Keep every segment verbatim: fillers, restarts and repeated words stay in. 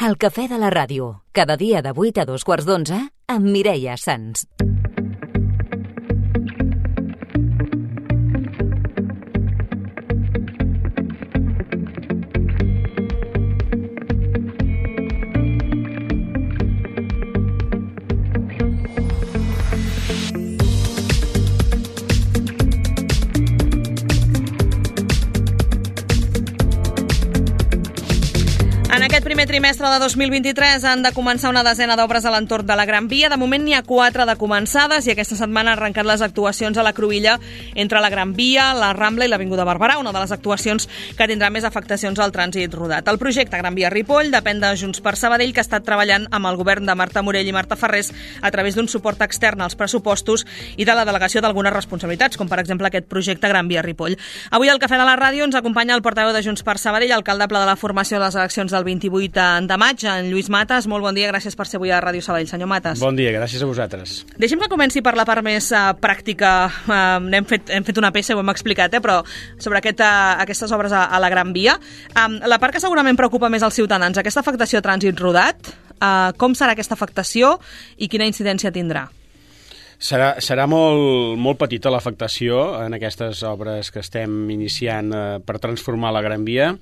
El cafè de la ràdio, cada dia de vuit a dos quarts d'onze, amb Mireia Sans. En aquest primer trimestre de dos mil vint-i-tres han de començar una desena d'obres a l'entorn de la Gran Via. De moment n'hi ha quatre de començades i aquesta setmana han arrencat les actuacions a la cruïlla entre la Gran Via, la Rambla i l'Avinguda Barberà, una de les actuacions que tindrà més afectacions al trànsit rodat. El projecte Gran Via Ripoll depèn de Junts per Sabadell, que ha estat treballant amb el govern de Marta Morell i Marta Ferrés a través d'un suport extern als pressupostos i de la delegació d'algunes responsabilitats, com per exemple aquest projecte Gran Via Ripoll. Avui al Cafè de la Ràdio ens acompanya el portaveu de Junts per Sabadell, alcaldable de la formació de les eleccions del vint-i-vuit de maig, en Lluís Matas. Molt bon dia, gràcies per ser avui a Ràdio Sabadell, senyor Matas. Bon dia, gràcies a vosaltres. Deixi'm que comenci per la part més uh, pràctica. Uh, hem, fet, hem fet una peça, ho hem explicat, eh, però sobre aquest, uh, aquestes obres a, a la Gran Via. Um, la part que segurament preocupa més als ciutadans, aquesta afectació a trànsit rodat, uh, com serà aquesta afectació i quina incidència tindrà? Serà, serà molt, molt petita l'afectació en aquestes obres que estem iniciant eh, per transformar la Gran Via.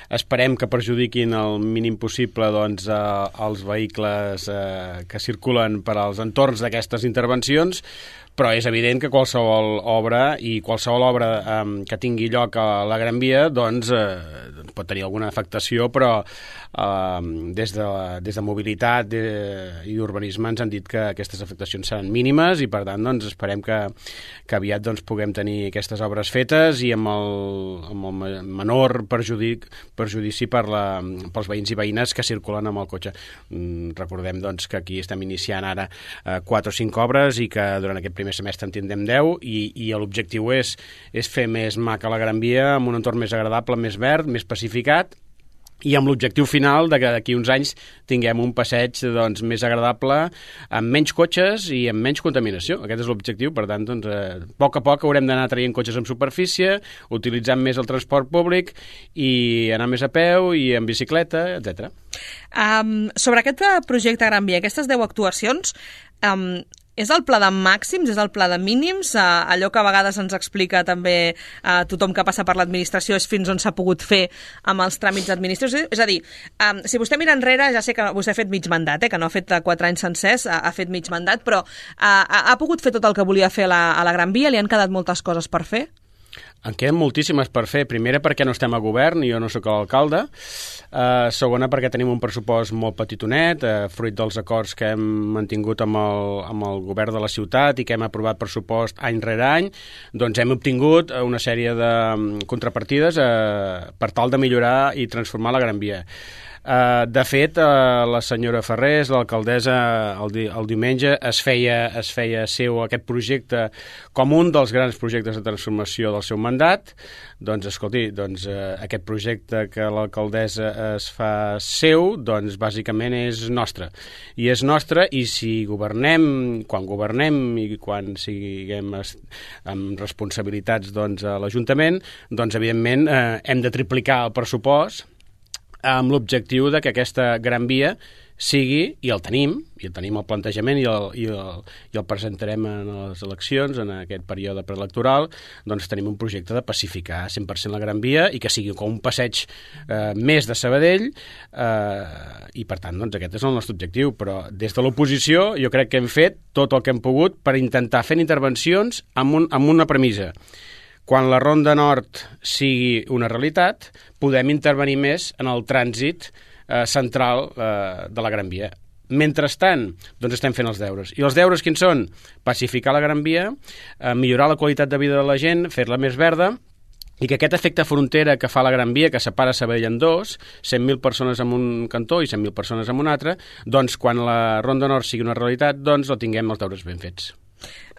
Esperem que perjudiquin el mínim possible doncs, eh, els vehicles eh, que circulen per als entorns d'aquestes intervencions, però és evident que qualsevol obra i qualsevol obra eh, que tingui lloc a la Gran Via doncs, eh, pot tenir alguna afectació, però eh, des, de, des de mobilitat de, i d'urbanisme ens han dit que aquestes afectacions seran mínimes i per tant doncs, esperem que, que aviat doncs, puguem tenir aquestes obres fetes i amb el, amb el menor perjudic, perjudici per la, pels veïns i veïnes que circulen amb el cotxe. Mm, recordem doncs, que aquí estem iniciant ara eh, quatre o cinc obres i que durant aquest primer semestre en tindrem deu i, i l'objectiu és, és fer més maca la Gran Via amb un entorn més agradable, més verd, més pacificat i amb l'objectiu final de que d'aquí uns anys tinguem un passeig doncs, més agradable, amb menys cotxes i amb menys contaminació. Aquest és l'objectiu, per tant, doncs, eh, a poc a poc haurem d'anar traient cotxes en superfície, utilitzant més el transport públic i anar més a peu i en bicicleta, etcètera. Um, sobre aquest projecte Gran Via, aquestes deu actuacions, um, és el pla de màxims, és el pla de mínims? Uh, allò que a vegades ens explica també uh, tothom que passa per l'administració és fins on s'ha pogut fer amb els tràmits administratius. És a dir, um, si vostè mira enrere, ja sé que vostè ha fet mig mandat, eh, que no ha fet quatre anys sencers, ha, ha fet mig mandat, però uh, ha, ha pogut fer tot el que volia fer a la, a la Gran Via? Li han quedat moltes coses per fer? En queden moltíssimes per fer. Primera, perquè no estem a govern i jo no sóc l'alcalde. Uh, segona, perquè tenim un pressupost molt petitonet, uh, fruit dels acords que hem mantingut amb el, amb el govern de la ciutat i que hem aprovat pressupost any rere any. Doncs hem obtingut una sèrie de contrapartides uh, per tal de millorar i transformar la Gran Via. Uh, de fet, uh, la senyora Ferrés, l'alcaldessa, el, di el diumenge es feia, es feia seu aquest projecte com un dels grans projectes de transformació del seu mandat. Doncs, escolti, doncs, uh, aquest projecte que l'alcaldessa es fa seu, doncs, bàsicament és nostre. I és nostre i si governem, quan governem i quan siguem amb responsabilitats doncs, a l'Ajuntament, doncs, evidentment, uh, hem de triplicar el pressupost amb l'objectiu de que aquesta Gran Via sigui, i el tenim, i el tenim el plantejament i el, i el, i el presentarem en les eleccions, en aquest període preelectoral, doncs tenim un projecte de pacificar cent per cent la Gran Via i que sigui com un passeig eh, més de Sabadell eh, i per tant doncs aquest és el nostre objectiu, però des de l'oposició jo crec que hem fet tot el que hem pogut per intentar fer intervencions amb, un, amb una premissa. Quan la Ronda Nord sigui una realitat, podem intervenir més en el trànsit eh, central eh, de la Gran Via. Mentrestant, doncs estem fent els deures. I els deures quins són? Pacificar la Gran Via, eh, millorar la qualitat de vida de la gent, fer-la més verda, i que aquest efecte frontera que fa la Gran Via, que separa Sabadell en dos, cent mil persones en un cantó i cent mil persones en un altre, doncs quan la Ronda Nord sigui una realitat, doncs la tinguem els deures ben fets.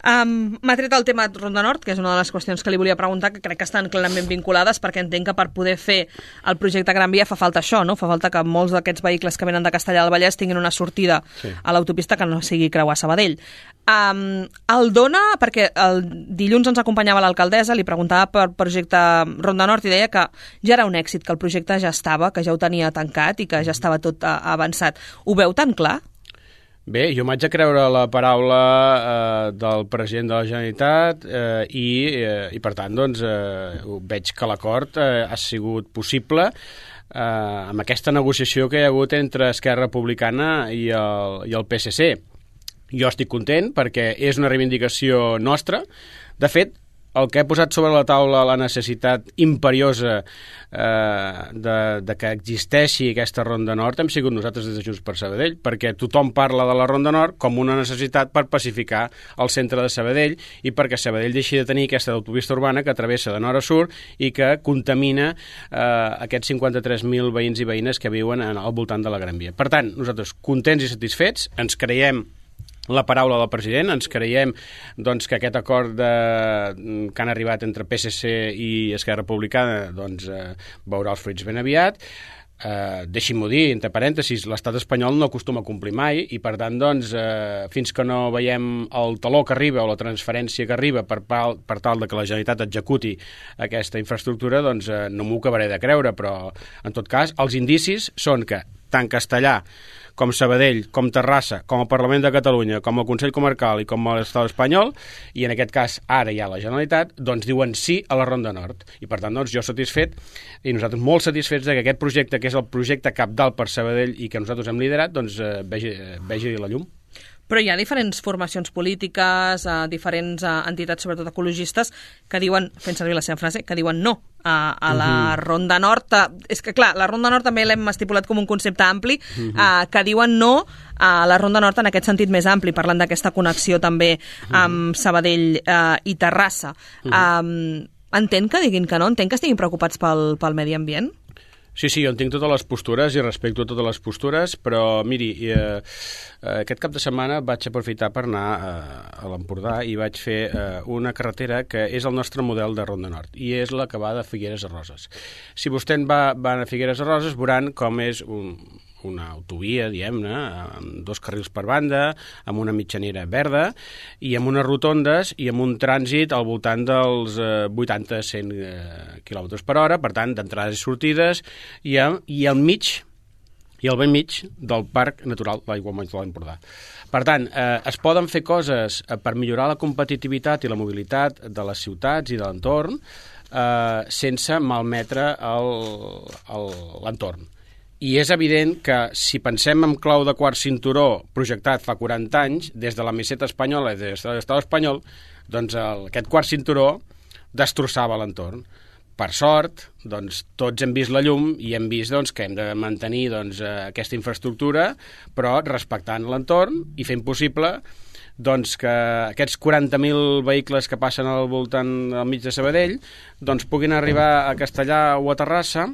Um, M'ha tret el tema Ronda Nord, que és una de les qüestions que li volia preguntar, que crec que estan clarament vinculades, perquè entenc que per poder fer el projecte Gran Via fa falta això, no? Fa falta que molts d'aquests vehicles que venen de Castellar del Vallès tinguin una sortida sí. a l'autopista que no sigui creuar Sabadell. Um, el dona, perquè el dilluns ens acompanyava l'alcaldessa, li preguntava per projecte Ronda Nord i deia que ja era un èxit, que el projecte ja estava, que ja ho tenia tancat i que ja estava tot uh, avançat. Ho veu tan clar? Bé, jo m'haig de creure la paraula eh, del president de la Generalitat eh, i, eh, i, per tant, doncs, eh, veig que l'acord eh, ha sigut possible eh, amb aquesta negociació que hi ha hagut entre Esquerra Republicana i el, i el P S C. Jo estic content perquè és una reivindicació nostra. De fet, el que he posat sobre la taula la necessitat imperiosa eh, de, de que existeixi aquesta Ronda Nord hem sigut nosaltres des de Junts per Sabadell, perquè tothom parla de la Ronda Nord com una necessitat per pacificar el centre de Sabadell i perquè Sabadell deixi de tenir aquesta autopista urbana que travessa de nord a sud i que contamina eh, aquests cinquanta-tres mil veïns i veïnes que viuen al voltant de la Gran Via. Per tant, nosaltres contents i satisfets, ens creiem la paraula del president, ens creiem doncs, que aquest acord de, que han arribat entre P S C i Esquerra Republicana doncs, eh, veurà els fruits ben aviat. Eh, deixi'm-ho dir, entre parèntesis, l'estat espanyol no acostuma a complir mai i, per tant, doncs, eh, fins que no veiem el taló que arriba o la transferència que arriba per, pal, per tal de que la Generalitat executi aquesta infraestructura, doncs eh, no m'ho acabaré de creure, però, en tot cas, els indicis són que tant Castellar com Sabadell, com Terrassa, com el Parlament de Catalunya, com el Consell Comarcal i com l'Estat espanyol, i en aquest cas ara hi ha la Generalitat, doncs diuen sí a la Ronda Nord. I per tant, doncs, jo satisfet, i nosaltres molt satisfets de que aquest projecte, que és el projecte cabdal per Sabadell i que nosaltres hem liderat, doncs eh, vegi, vegi la llum. Però hi ha diferents formacions polítiques, eh, diferents eh, entitats, sobretot ecologistes, que diuen, fent servir la seva frase, que diuen no a, a la uh-huh. Ronda Nord. És que, clar, la Ronda Nord també l'hem estipulat com un concepte ampli, uh-huh. eh, que diuen no a la Ronda Nord en aquest sentit més ampli, parlant d'aquesta connexió també amb Sabadell eh, i Terrassa. Uh-huh. Um, entén que diguin que no? Entén que estiguin preocupats pel, pel medi ambient? Sí, sí, jo entenc totes les postures i respecto totes les postures, però miri, eh, aquest cap de setmana vaig aprofitar per anar eh, a l'Empordà i vaig fer eh, una carretera que és el nostre model de Ronda Nord i és la que va de Figueres a Roses. Si vostè va, va a Figueres a Roses veuran com és un, una autovia, diguem-ne, amb dos carrils per banda, amb una mitjanera verda i amb unes rotondes i amb un trànsit al voltant dels eh, vuitanta a cent eh, quilòmetres per hora, per tant, d'entrades i sortides, i, a, i al mig, i al ben mig del Parc Natural de l'Aiguamolls de l'Empordà. Per tant, eh, es poden fer coses eh, per millorar la competitivitat i la mobilitat de les ciutats i de l'entorn eh, sense malmetre l'entorn. I és evident que si pensem en clau de quart cinturó projectat fa quaranta anys, des de la meseta espanyola i des de l'estat espanyol, doncs el, aquest quart cinturó destrossava l'entorn. Per sort, doncs, tots hem vist la llum i hem vist doncs, que hem de mantenir doncs, aquesta infraestructura, però respectant l'entorn i fent possible doncs, que aquests quaranta mil vehicles que passen al voltant al mig de Sabadell doncs, puguin arribar a Castellar o a Terrassa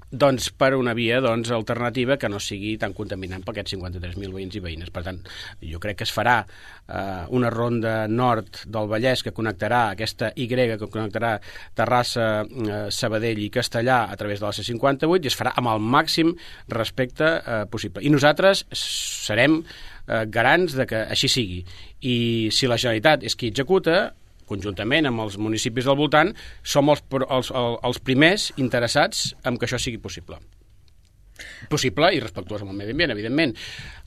doncs, per una via doncs, alternativa que no sigui tan contaminant per aquests cinquanta-tres mil veïns i veïnes. Per tant, jo crec que es farà eh, una ronda nord del Vallès que connectarà aquesta Y, que connectarà Terrassa, eh, Sabadell i Castellar a través de la C cinquanta-vuit i es farà amb el màxim respecte eh, possible. I nosaltres serem eh, garants de que així sigui. I si la Generalitat és qui executa, conjuntament amb els municipis del voltant, som els, els, els primers interessats en que això sigui possible. Possible i respectuós amb el medi ambient, evidentment.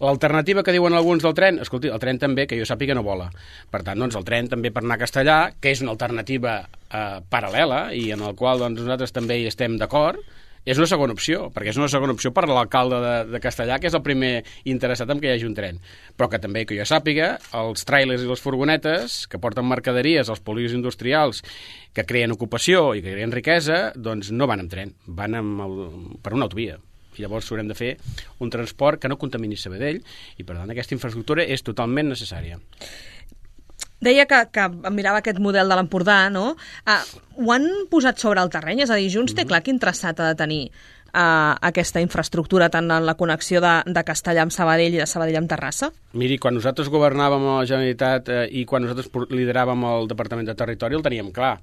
L'alternativa que diuen alguns del tren, escolti, el tren també, que jo sàpiga, no vola. Per tant, doncs, el tren també per anar a Castellar, que és una alternativa eh, paral·lela i en el qual doncs, nosaltres també hi estem d'acord, és una segona opció, perquè és una segona opció per a l'alcalde de, de Castellar, que és el primer interessat en que hi hagi un tren. Però que també, que jo sàpiga, els tràilers i les furgonetes que porten mercaderies als polígons industrials que creen ocupació i que creen riquesa, doncs no van amb tren, van amb el, per una autovia. I llavors haurem de fer un transport que no contamini Sabadell i, per tant, aquesta infraestructura és totalment necessària. Deia que, que mirava aquest model de l'Empordà, no? Uh, ho han posat sobre el terreny? És a dir, Junts té clar quin traçat ha de tenir uh, aquesta infraestructura, tant en la connexió de, de Castellà amb Sabadell i de Sabadell amb Terrassa? Miri, quan nosaltres governàvem a la Generalitat eh, i quan nosaltres lideràvem el Departament de Territori el teníem clar.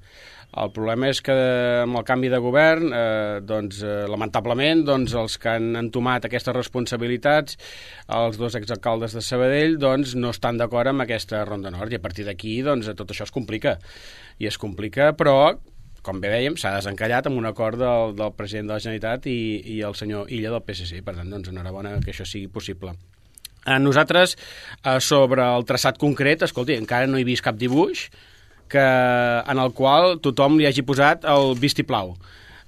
El problema és que amb el canvi de govern, eh, doncs, eh, lamentablement, doncs, els que han entomat aquestes responsabilitats, els dos exalcaldes de Sabadell, doncs, no estan d'acord amb aquesta Ronda Nord, i a partir d'aquí doncs, tot això es complica. I es complica, però, com bé dèiem, s'ha desencallat amb un acord del, del president de la Generalitat i, i el senyor Illa del P S C. Per tant, doncs, enhorabona que això sigui possible. A nosaltres, eh, sobre el traçat concret, escolti, encara no he vist cap dibuix que, en el qual tothom li hagi posat el vistiplau.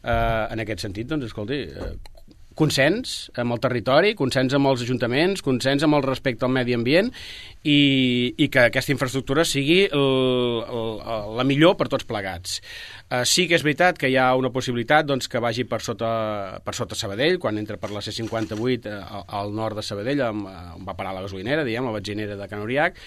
Eh, en aquest sentit, doncs, escolti, eh, consens amb el territori, consens amb els ajuntaments, consens amb el respecte al medi ambient i, i que aquesta infraestructura sigui el, el, la millor per tots plegats. Uh, sí que és veritat que hi ha una possibilitat doncs, que vagi per sota, per sota Sabadell, quan entra per la C cinquanta-vuit uh, al nord de Sabadell, on, uh, on va parar la gasolinera, diguem, la benzinera de Can Uriac,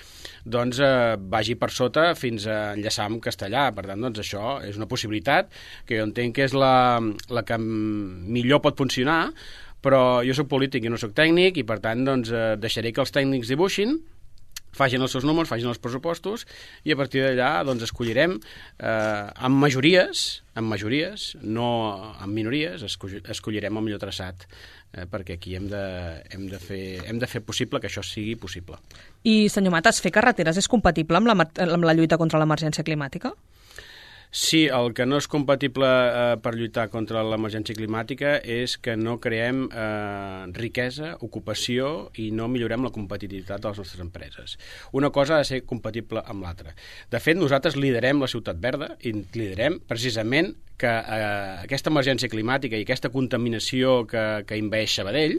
doncs uh, vagi per sota fins a enllaçar amb Castellà. Per tant, doncs, això és una possibilitat que jo entenc que és la, la que millor pot funcionar, però jo soc polític i no soc tècnic i, per tant, doncs, uh, deixaré que els tècnics dibuixin, facin els seus números, facin els pressupostos i a partir d'allà doncs, escollirem eh, amb majories, amb majories, no amb minories, escollirem el millor traçat eh, perquè aquí hem de, hem, de fer, hem de fer possible que això sigui possible. I, senyor Matas, fer carreteres és compatible amb la, amb la lluita contra l'emergència climàtica? Sí, el que no és compatible eh, per lluitar contra l'emergència climàtica és que no creem eh, riquesa, ocupació i no millorem la competitivitat de les nostres empreses. Una cosa ha de ser compatible amb l'altra. De fet, nosaltres liderem la ciutat verda i liderem precisament que eh, aquesta emergència climàtica i aquesta contaminació que, que envaeix Sabadell,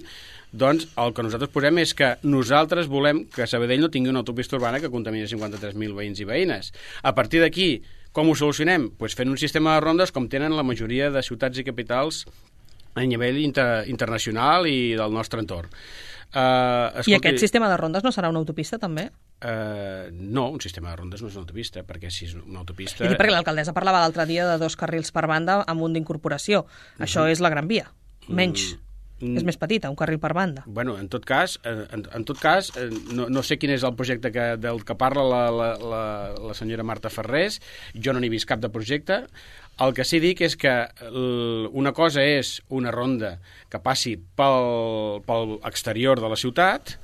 doncs el que nosaltres posem és que nosaltres volem que Sabadell no tingui una autopista urbana que contamini cinquanta-tres mil veïns i veïnes. A partir d'aquí, com ho solucionem? Pues fent un sistema de rondes com tenen la majoria de ciutats i capitals a nivell inter internacional i del nostre entorn. Uh, escolti, I aquest sistema de rondes no serà una autopista, també? Uh, no, un sistema de rondes no és una autopista, perquè si és una autopista... I perquè l'alcaldessa parlava l'altre dia de dos carrils per banda amb un d'incorporació. Uh-huh. Això és la Gran Via, menys. Uh-huh. Mm. És més petita, un carril per banda. Bueno, en tot cas, en, en tot cas no, no sé quin és el projecte que, del que parla la, la, la, la senyora Marta Ferrés, jo no n'he vist cap de projecte. El que sí dic és que una cosa és una ronda que passi pel, pel exterior de la ciutat,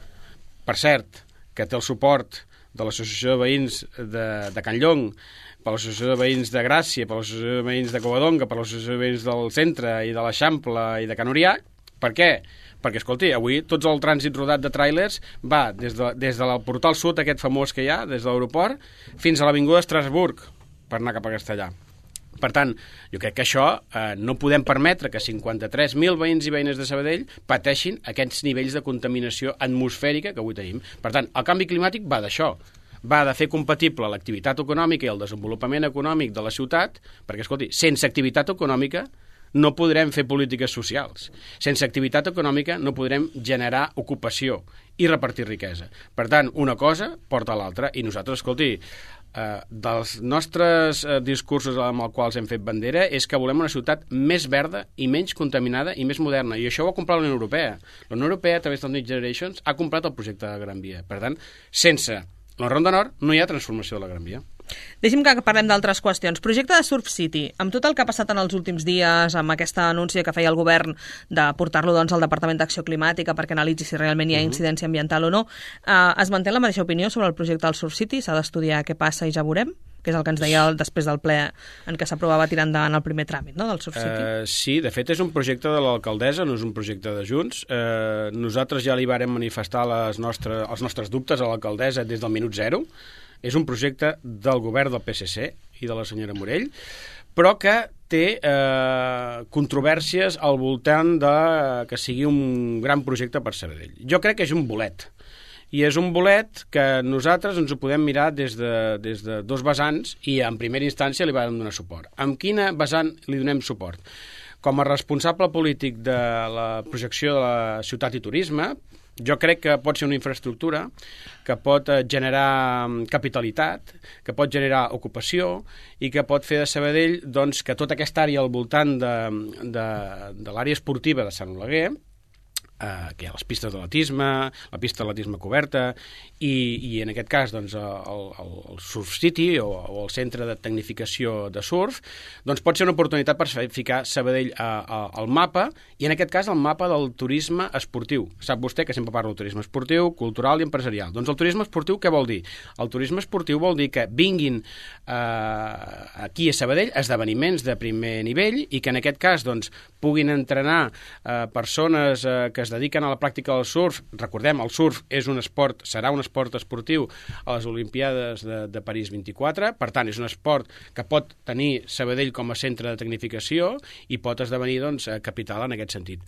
per cert, que té el suport de l'Associació de Veïns de, de Can Llong, per l'Associació de Veïns de Gràcia, per l'Associació de Veïns de Covadonga, per l'Associació de Veïns del Centre i de l'Eixample i de Can Uriac. Per què? Perquè, escolti, avui tots el trànsit rodat de tràilers va des, de, des del portal sud, aquest famós que hi ha, des de l'aeroport, fins a l'avinguda Estrasburg, per anar cap a Castellà. Per tant, jo crec que això eh, no podem permetre que cinquanta-tres mil veïns i veïnes de Sabadell pateixin aquests nivells de contaminació atmosfèrica que avui tenim. Per tant, el canvi climàtic va d'això. Va de fer compatible l'activitat econòmica i el desenvolupament econòmic de la ciutat, perquè, escolti, sense activitat econòmica no podrem fer polítiques socials. Sense activitat econòmica no podrem generar ocupació i repartir riquesa. Per tant, una cosa porta a l'altra i nosaltres, escolti, eh, dels nostres eh, discursos amb els quals hem fet bandera és que volem una ciutat més verda i menys contaminada i més moderna. I això ho ha comprat la Unió Europea. La Unió Europea, a través del Next Generations, ha comprat el projecte de la Gran Via. Per tant, sense la Ronda Nord no hi ha transformació de la Gran Via. Deixi'm que parlem d'altres qüestions. Projecte de Surf City, amb tot el que ha passat en els últims dies, amb aquesta anúncia que feia el govern de portar-lo doncs, al Departament d'Acció Climàtica perquè analitzi si realment hi ha incidència ambiental o no, eh, es manté la mateixa opinió sobre el projecte del Surf City? S'ha d'estudiar què passa i ja veurem? Que és el que ens deia després del ple en què s'aprovava tirar endavant el primer tràmit, no?, del Surf City. Uh, sí, de fet és un projecte de l'alcaldessa, no és un projecte de Junts. Uh, nosaltres ja li vàrem manifestar les nostres, els nostres dubtes a l'alcaldessa des del minut zero. És un projecte del govern del P S C i de la senyora Morell, però que té eh, controvèrsies al voltant de que sigui un gran projecte per Sabadell. Jo crec que és un bolet. I és un bolet que nosaltres ens ho podem mirar des de, des de dos vessants i en primera instància li vam donar suport. Amb quina vessant li donem suport? Com a responsable polític de la projecció de la ciutat i turisme, jo crec que pot ser una infraestructura que pot generar capitalitat, que pot generar ocupació i que pot fer de Sabadell doncs, que tota aquesta àrea al voltant de, de, de l'àrea esportiva de Sant Oleguer, eh, que hi ha les pistes d'atletisme, la pista d'atletisme coberta i, i en aquest cas doncs, el, el, el Surf City o, o el centre de tecnificació de surf, doncs pot ser una oportunitat per ficar Sabadell a, a, al mapa i en aquest cas al mapa del turisme esportiu. Sap vostè que sempre parlo del turisme esportiu, cultural i empresarial. Doncs el turisme esportiu què vol dir? El turisme esportiu vol dir que vinguin eh, aquí a Sabadell esdeveniments de primer nivell i que en aquest cas doncs, puguin entrenar eh, persones eh, que es dediquen a la pràctica del surf. Recordem, el surf és un esport, serà un esport esportiu a les Olimpíades de, de París vint-i-quatre, per tant és un esport que pot tenir Sabadell com a centre de tecnificació i pot esdevenir doncs, capital en aquest sentit.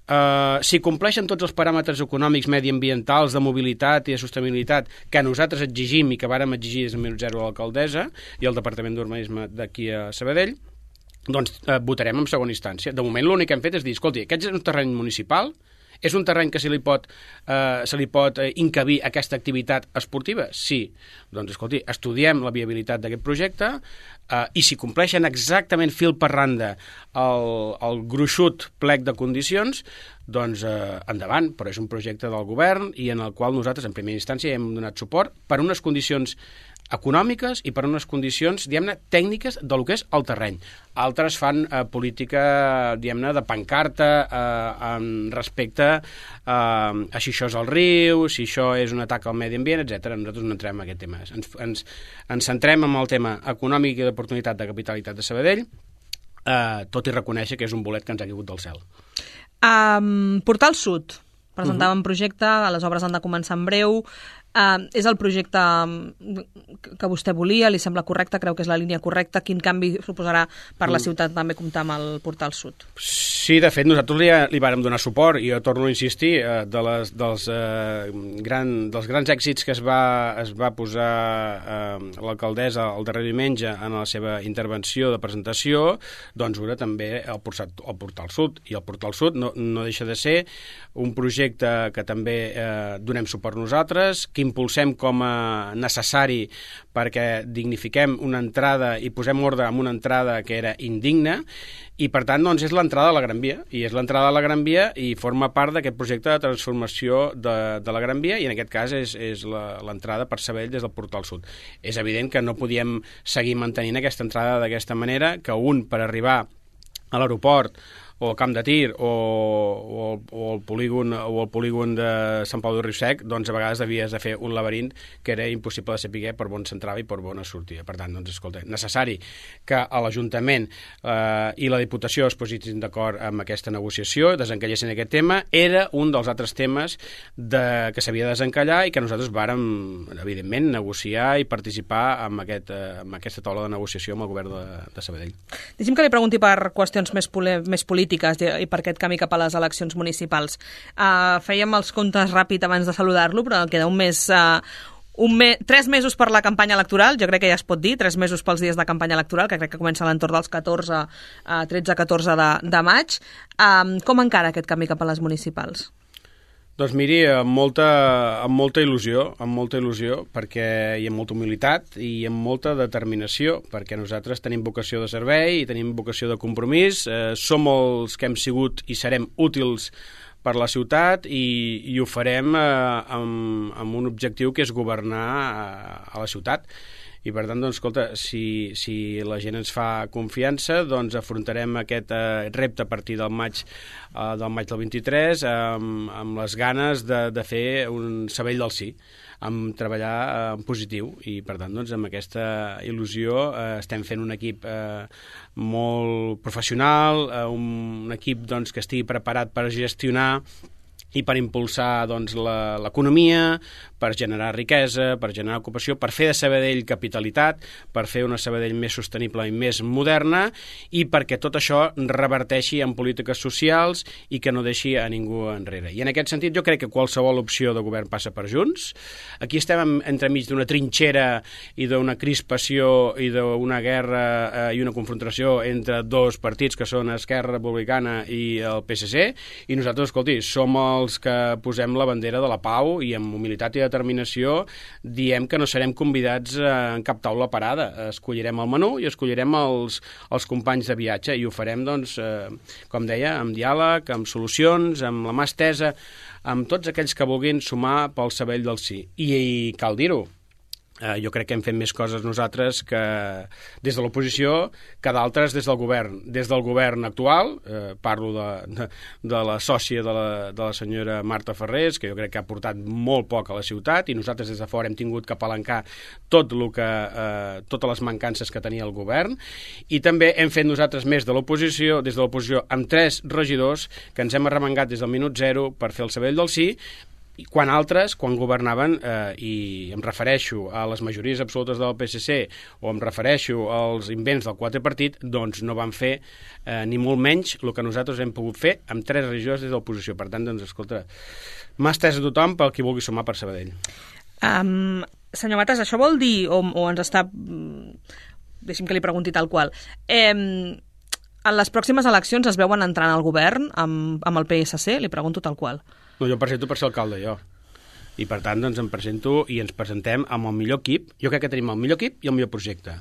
Uh, si compleixen tots els paràmetres econòmics, mediambientals, de mobilitat i de sostenibilitat que nosaltres exigim i que vàrem exigir des del minut zero a l'alcaldessa i al Departament d'Urbanisme d'aquí a Sabadell, doncs eh, votarem en segona instància. De moment l'únic que hem fet és dir, escolti, aquest és un terreny municipal, és un terreny que se li pot, eh, se li pot eh, encabir aquesta activitat esportiva? Sí. Doncs, escolti, estudiem la viabilitat d'aquest projecte eh, i si compleixen exactament fil per randa el, el gruixut plec de condicions, doncs eh, endavant, però és un projecte del govern i en el qual nosaltres en primera instància hem donat suport per unes condicions econòmiques i per unes condicions, diguem-ne, tècniques del que és el terreny. Altres fan eh, política, diguem-ne, de pancarta eh, en respecte eh, a si això és el riu, si això és un atac al medi ambient, etcètera. Nosaltres no entrem en aquest tema. Ens, ens, ens centrem en el tema econòmic i d'oportunitat de capitalitat de Sabadell, eh, tot i reconèixer que és un bolet que ens ha caigut del cel. Um, Portal Sud. Presentàvem uh-huh. projecte, les obres han de començar en breu. Uh, és el projecte que vostè volia, li sembla correcte, creu que és la línia correcta, quin canvi suposarà per la ciutat també comptar amb el Portal Sud? Sí, de fet, nosaltres li, li vàrem donar suport i jo torno a insistir, eh, de les, dels, eh, gran, dels grans èxits que es va, es va posar eh, l'alcaldessa el darrer diumenge en la seva intervenció de presentació, doncs era també el Portal, el Portal Sud, i el Portal Sud no, no deixa de ser un projecte que també eh, donem suport nosaltres, que impulsem com a necessari perquè dignifiquem una entrada i posem ordre en una entrada que era indigna i per tant doncs, és l'entrada a la Gran Via i és l'entrada a la Gran Via i forma part d'aquest projecte de transformació de, de la Gran Via i en aquest cas és, és l'entrada per Sabadell des del Portal Sud. És evident que no podíem seguir mantenint aquesta entrada d'aquesta manera, que un per arribar a l'aeroport o al camp de tir o, o, o, el polígon, o el polígon de Sant Pau de Riu-sec, doncs a vegades havies de fer un laberint que era impossible de saber per on s'entrava i per on es sortia. Per tant, doncs, escolta, necessari que a l'Ajuntament eh, i la Diputació es posessin d'acord amb aquesta negociació, desencallessin aquest tema, era un dels altres temes de, que s'havia de desencallar i que nosaltres vàrem, evidentment, negociar i participar en, aquest, eh, en aquesta taula de negociació amb el govern de, de Sabadell. Deixi'm que li pregunti per qüestions més, més polítiques i per aquest camí cap a les eleccions municipals. Uh, fèiem els comptes ràpid abans de saludar-lo, però queda un mes... Uh, un me tres mesos per la campanya electoral, jo crec que ja es pot dir, tres mesos pels dies de campanya electoral, que crec que comença a l'entorn dels catorze, tretze catorze de, de maig. Uh, com encara aquest camí cap a les municipals? Doncs miri, amb molta, amb molta il·lusió, amb molta il·lusió, perquè hi ha molta humilitat i amb molta determinació, perquè nosaltres tenim vocació de servei i tenim vocació de compromís, eh, som els que hem sigut i serem útils per la ciutat i, i ho farem eh, amb, amb un objectiu que és governar a, a la ciutat. I per tant, doncs, escolta, si, si la gent ens fa confiança, doncs afrontarem aquest eh, repte a partir del maig, eh, del maig del vint-i-tres amb, amb les ganes de, de fer un Sabadell del sí, amb treballar eh, en positiu i per tant, doncs, amb aquesta il·lusió eh, estem fent un equip eh, molt professional, eh, un equip doncs, que estigui preparat per gestionar i per impulsar doncs, l'economia, per generar riquesa, per generar ocupació, per fer de Sabadell capitalitat, per fer una Sabadell més sostenible i més moderna, i perquè tot això reverteixi en polítiques socials i que no deixi a ningú enrere. I en aquest sentit jo crec que qualsevol opció de govern passa per Junts. Aquí estem entremig d'una trinxera i d'una crispació i d'una guerra eh, i una confrontació entre dos partits que són Esquerra Republicana i el P S C, i nosaltres, escolti, som els que posem la bandera de la pau i amb humilitat i determinació diem que no serem convidats en cap taula parada. Escollirem el menú i escollirem els, els companys de viatge i ho farem, doncs, eh, com deia, amb diàleg, amb solucions, amb la mà estesa, amb tots aquells que vulguin sumar pel Sabadell del sí. I, i cal dir-ho, Uh, jo crec que hem fet més coses nosaltres que des de l'oposició que d'altres des del govern. Des del govern actual, uh, parlo de, de, de la sòcia de la, de la senyora Marta Ferrés, que jo crec que ha portat molt poc a la ciutat, i nosaltres des de fora hem tingut que apalancar tot lo que, uh, totes les mancances que tenia el govern, i també hem fet nosaltres més de l'oposició, des de l'oposició amb tres regidors que ens hem arremangat des del minut zero per fer el Sabadell del sí, quan altres, quan governaven, eh, i em refereixo a les majories absolutes del P S C o em refereixo als invents del quadripartit, doncs no van fer eh, ni molt menys el que nosaltres hem pogut fer amb tres regidors des de l'oposició. Per tant, doncs, escolta, mà estesa a tothom pel qui vulgui sumar per Sabadell. Um, senyor Matas, això vol dir, o, o ens està... Deixi'm que li pregunti tal qual. Eh, en les pròximes eleccions es veuen entrant al govern amb, amb el P S C? Li pregunto tal qual. No, jo em presento per ser alcalde, jo. I, per tant, doncs, em presento i ens presentem amb el millor equip. Jo crec que tenim el millor equip i el millor projecte.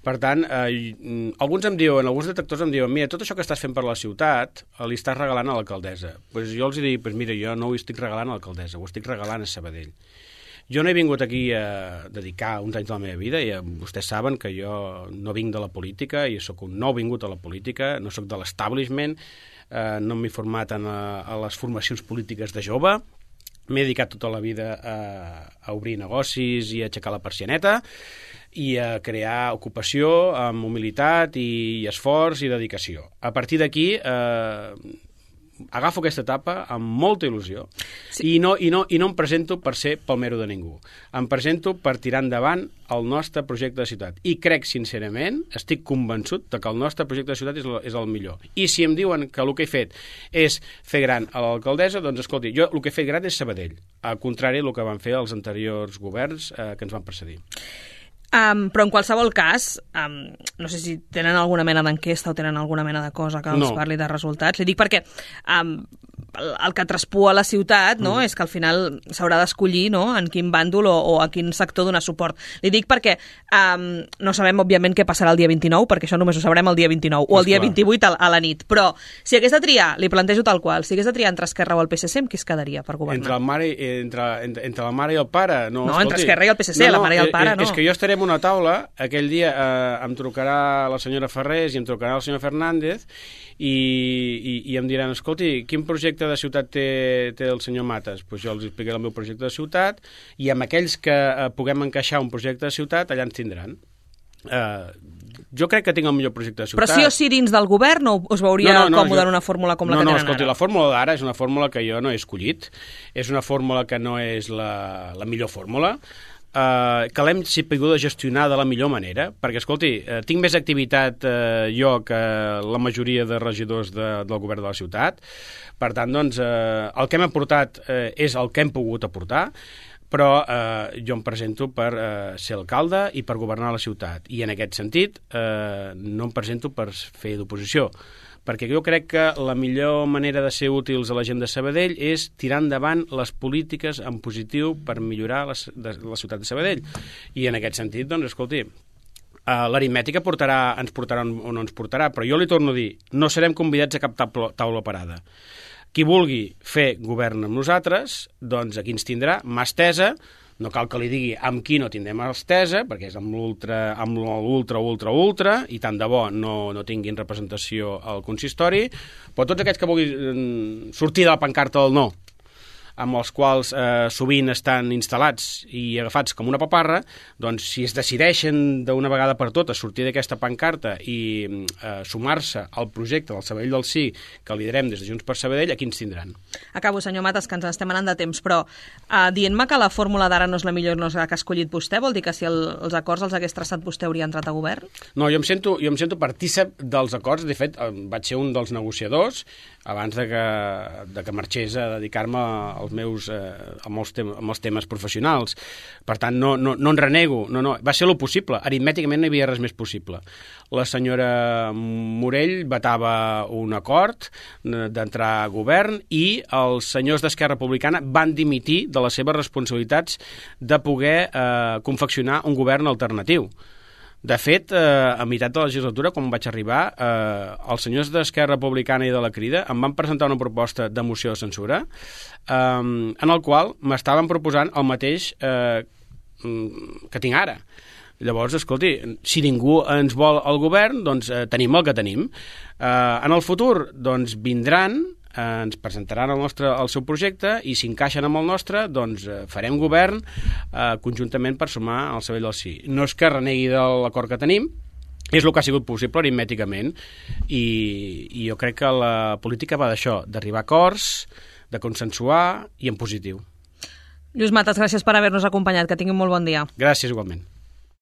Per tant, eh, alguns em diuen, alguns detractors em diuen, mira, tot això que estàs fent per la ciutat li estàs regalant a l'alcaldessa. Pues jo els dic, pues mira, jo no ho estic regalant a l'alcaldessa, ho estic regalant a Sabadell. Jo no he vingut aquí a dedicar uns anys de la meva vida, i vostès saben que jo no vinc de la política, i sóc un nou vingut a la política, no sóc de l'establishment, eh, no m'he format en a, a les formacions polítiques de jove, m'he dedicat tota la vida a, a obrir negocis i a aixecar la persianeta i a crear ocupació amb humilitat i, i esforç i dedicació. A partir d'aquí eh, agafo aquesta etapa amb molta il·lusió, sí. i, no, i, no, i no em presento per ser palmero de ningú. Em presento per tirar endavant el nostre projecte de ciutat. I crec, sincerament, estic convençut de que el nostre projecte de ciutat és el, és el millor. I si em diuen que el que he fet és fer gran a l'alcaldessa, doncs escolti, jo el que he fet gran és Sabadell, al contrari del que van fer els anteriors governs eh, que ens van precedir. Um, però en qualsevol cas, um, no sé si tenen alguna mena d'enquesta o tenen alguna mena de cosa que els no. parli de resultats. Li dic perquè um, el, el que traspua la ciutat, no, mm. és que al final s'haurà d'escollir, no, en quin bàndol o, o a quin sector donar suport. Li dic perquè um, no sabem, òbviament, què passarà el dia vint-i-nou, perquè això només ho sabrem el dia vint-i-nou o el dia vint-i-vuit a, a la nit. Però si hagués de triar, li plantejo tal qual, si hagués de triar entre Esquerra o el P S C, amb qui es quedaria per governar? Entre, el mare, entre, entre, entre la mare i el pare? No, no escolti, entre Esquerra i el P S C, no, no, la mare i el pare, eh, no. És que jo estaré en una taula, aquell dia eh, em trucarà la senyora Ferrés i em trucarà el senyor Fernández i, i, i em diran, escolti, quin projecte de ciutat té, té el senyor Matas? Pues jo els explicaré el meu projecte de ciutat i amb aquells que eh, puguem encaixar un projecte de ciutat, allà ens tindran. Eh, jo crec que tinc el millor projecte de ciutat. Però sí o sí dins del govern o us veuria no, no, no, còmode jo... en una fórmula com no, la que no, tenen escolti, ara? La fórmula d'ara és una fórmula que jo no he escollit, és una fórmula que no és la, la millor fórmula, Uh, que l'hem sapigut gestionar de la millor manera, perquè, escolti, uh, tinc més activitat uh, jo que la majoria de regidors de, del govern de la ciutat. Per tant, doncs, uh, el que hem aportat uh, és el que hem pogut aportar, però uh, jo em presento per uh, ser alcalde i per governar la ciutat. I en aquest sentit uh, no em presento per fer d'oposició, perquè jo crec que la millor manera de ser útils a la gent de Sabadell és tirar endavant les polítiques en positiu per millorar la, de, la ciutat de Sabadell. I en aquest sentit, doncs, escolti, uh, l'aritmètica portarà, ens portarà on, on ens portarà, però jo li torno a dir, no serem convidats a cap taula, taula parada. Qui vulgui fer govern amb nosaltres, doncs aquí ens tindrà, mà estesa. No cal que li digui amb qui no tindrem estesa, perquè és amb l'ultra, amb l'ultra, ultra, ultra, i tant de bo no, no tinguin representació al consistori, però tots aquests que vulguin sortir de la pancarta del no amb els quals eh, sovint estan instal·lats i agafats com una paparra, doncs si es decideixen d'una vegada per totes sortir d'aquesta pancarta i eh, sumar-se al projecte del Sabadell del Sí que liderem des de Junts per Sabadell, aquí ens tindran. Acabo, senyor Matas, que ens estem anant de temps, però eh, dient-me que la fórmula d'ara no és la millor, no és la que ha escollit vostè, vol dir que si el, els acords els hagués traçat vostè hauria entrat a govern? No, jo em sento, jo em sento partícip dels acords. De fet, vaig ser un dels negociadors abans de que, de que marxés a dedicar-me als meus, eh, als, tem als temes professionals. Per tant, no, no, no en renego. No, no. Va ser lo possible. Aritmèticament no hi havia res més possible. La senyora Morell vetava un acord d'entrar a govern i els senyors d'Esquerra Republicana van dimitir de les seves responsabilitats de poder eh, confeccionar un govern alternatiu. De fet, eh, a meitat de la legislatura, quan vaig arribar, eh, els senyors d'Esquerra Republicana i de la Crida em van presentar una proposta de moció de censura eh, en el qual m'estaven proposant el mateix eh, que tinc ara. Llavors, escolti, si ningú ens vol al govern, doncs eh, tenim el que tenim. Eh, en el futur, doncs vindran, eh, ens presentaran el, nostre, el seu projecte i si encaixen amb el nostre, doncs eh, farem govern eh, conjuntament per sumar al Sabadell del Sí. No és que renegui de l'acord que tenim, és el que ha sigut possible aritmèticament i, i jo crec que la política va d'això, d'arribar a acords, de consensuar i en positiu. Lluís Matas, gràcies per haver-nos acompanyat, que tinguin molt bon dia. Gràcies, igualment.